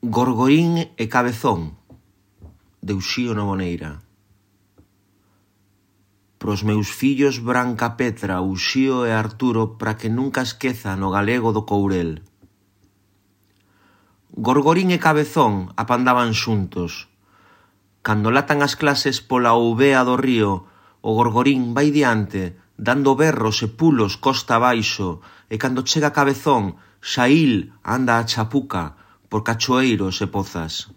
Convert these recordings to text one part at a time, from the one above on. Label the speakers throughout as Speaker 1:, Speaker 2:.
Speaker 1: Gorgorín e Cabezón, de Uxío Novoneira. Pros meus fillos Branca Petra, Uxío e Arturo, para que nunca esqueza no galego do Courel. Gorgorín e Cabezón apandaban xuntos. Cando latan as clases pola ouvea do río, o Gorgorín vai diante, dando berros e pulos costa abaixo, e cando chega Cabezón, Xaíl anda a chapuca por cachoeiros e pozas.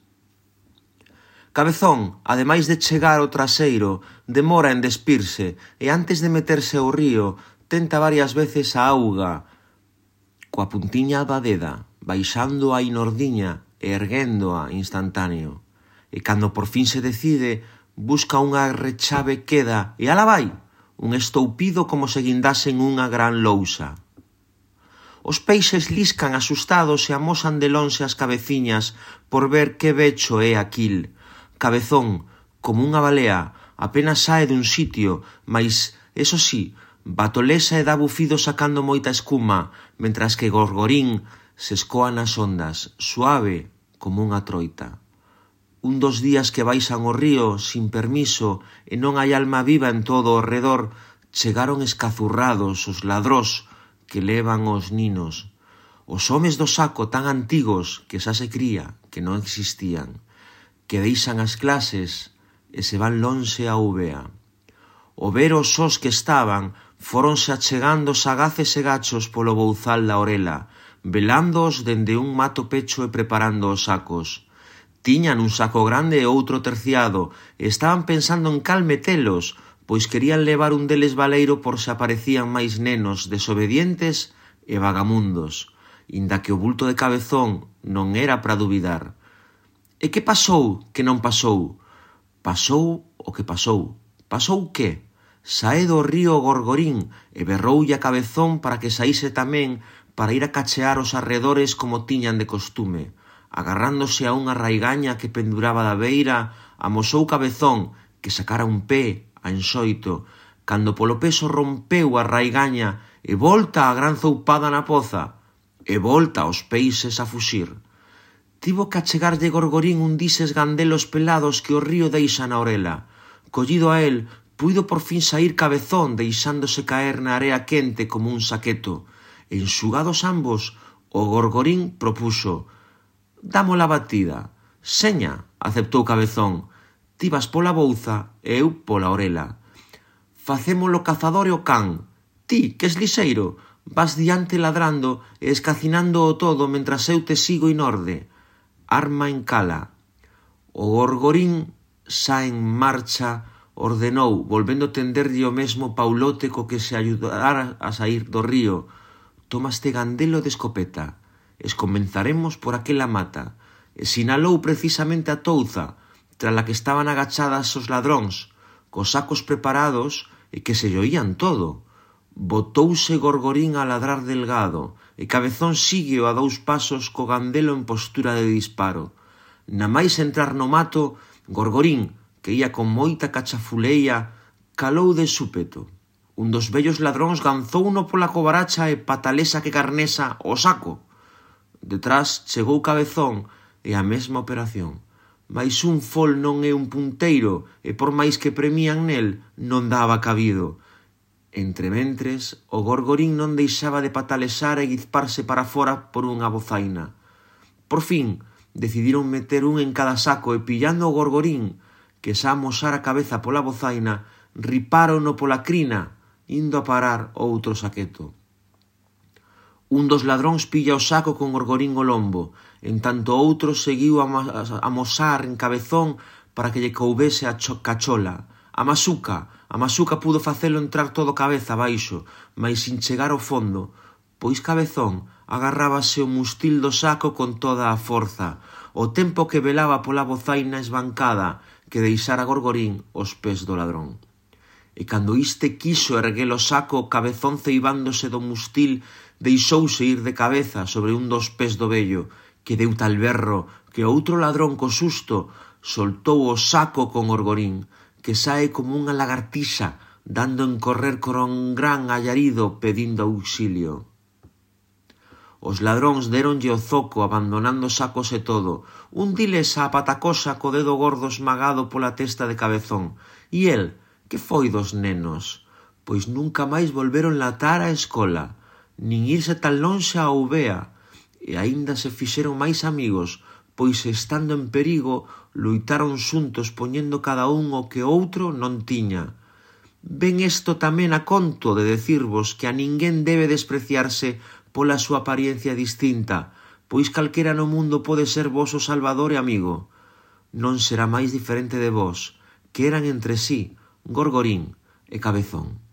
Speaker 1: Cabezón, ademais de chegar ao traseiro, demora en despirse e antes de meterse ao río, tenta varias veces a auga, coa puntiña da deda, baixando a inordiña e erguéndoa instantáneo. E cando por fin se decide, busca unha rechave queda e ala vai, un estoupido como se guindasen unha gran lousa. Os peixes liscan asustados e amosan de lonxe as cabeciñas por ver que becho é aquil. Cabezón, como unha balea, apenas sae dun sitio, mas, eso sí, batolesa e dá bufido sacando moita escuma, mentras que Gorgorín se escoa nas ondas, suave como unha troita. Un dos días que baixan o río, sin permiso, e non hai alma viva en todo o redor, chegaron escazurrados os ladrós que levan os ninos. Os homes do saco tan antigos que xa se cría que non existían, que deixan as clases e se van lonxe a Úbea. O ver os sós que estaban, foronse achegando sagaces e gachos polo bouzal da orela, velándoos dende un mato pecho e preparando os sacos. Tiñan un saco grande e outro terciado, e estaban pensando en cal metelos, pois querían levar un deles baleiro por se aparecían máis nenos desobedientes e vagamundos, inda que o bulto de Cabezón non era para duvidar. E que pasou que non pasou? Pasou o que pasou. Pasou que? Sae do río Gorgorín e berroulle a Cabezón para que saíse tamén para ir a cachear os arredores como tiñan de costume. Agarrándose a unha raigaña que penduraba da beira, amosou Cabezón que sacara un pé a enxoito, cando polo peso rompeu a raigaña e volta a gran zoupada na poza, e volta os peixes a fuxir. Tivo que achegarlle Gorgorín un dises gandelos pelados que o río deixa na orela. Collido a el, puido por fin saír Cabezón deixándose caer na area quente como un saqueto. Enxugados ambos, o Gorgorín propuxo: «Damo la batida». «Seña», aceptou Cabezón, «ti vas pola bouza e eu pola orela. Facémolo cazador e o can. Ti, que es lixeiro, vas diante ladrando e escacinando o todo mentras eu te sigo inorde. Arma en cala». O Gorgorín xa en marcha ordenou, volvendo tenderlle o mesmo paulote co que se ayudara a sair do río: «Toma este gandelo de escopeta. Escomenzaremos por aquela mata». E sinalou precisamente a touza, trala que estaban agachadas os ladróns, cos sacos preparados e que se lle oían todo. Botouse Gorgorín a ladrar delgado, e Cabezón sígueo a 2 pasos co gandelo en postura de disparo. Na máis entrar no mato, Gorgorín, que ía con moita cachafuleia, calou de súpeto. Un dos vellos ladróns ganzouno pola covaracha e patalesa que carnesa o saco. Detrás chegou Cabezón e a mesma operación. Mais un fol non é un punteiro e por máis que premian nel, non daba cabido. Entrementres, o Gorgorín non deixaba de patalesar e guizparse para fora por unha bozaina. Por fin, decidiron meter un en cada saco e pillando o Gorgorín, que xa amosara a cabeza pola bozaina, ripárono pola crina, indo a parar outro saqueto. Un dos ladróns pilla o saco con Gorgorín ao lombo, en tanto outro seguiu a amosar en Cabezón para que lle coubese a cachola. A Masuca pudo facelo entrar todo cabeza abaixo, mais sin chegar ao fondo, pois Cabezón agarrábase o mustil do saco con toda a forza, o tempo que velaba pola bozaina esbancada que deixara Gorgorín os pés do ladrón. E cando iste quiso erguer o saco, Cabezón ceibándose do mustil, deixouse ir de cabeza sobre un dos pés do vello, que deu tal berro que outro ladrón co susto soltou o saco con Gorgorín, que sae como unha lagartixa, dando en correr con un gran allarido pedindo auxilio. Os ladróns déronlle o zoco abandonando sacos e todo. Un diles a patacosa co dedo gordo esmagado pola testa de Cabezón. E el, que foi dos nenos? Pois nunca máis volveron latar á escola, nin irse tan lonxe á Ubea, e aínda se fixeron máis amigos, pois estando en perigo, luitaron xuntos poñendo cada un o que outro non tiña. Ven isto tamén a conto de decirvos que a ninguén debe despreciarse pola súa apariencia distinta, pois calquera no mundo pode ser voso salvador e amigo. Non será máis diferente de vos, que eran entre sí Gorgorín e Cabezón.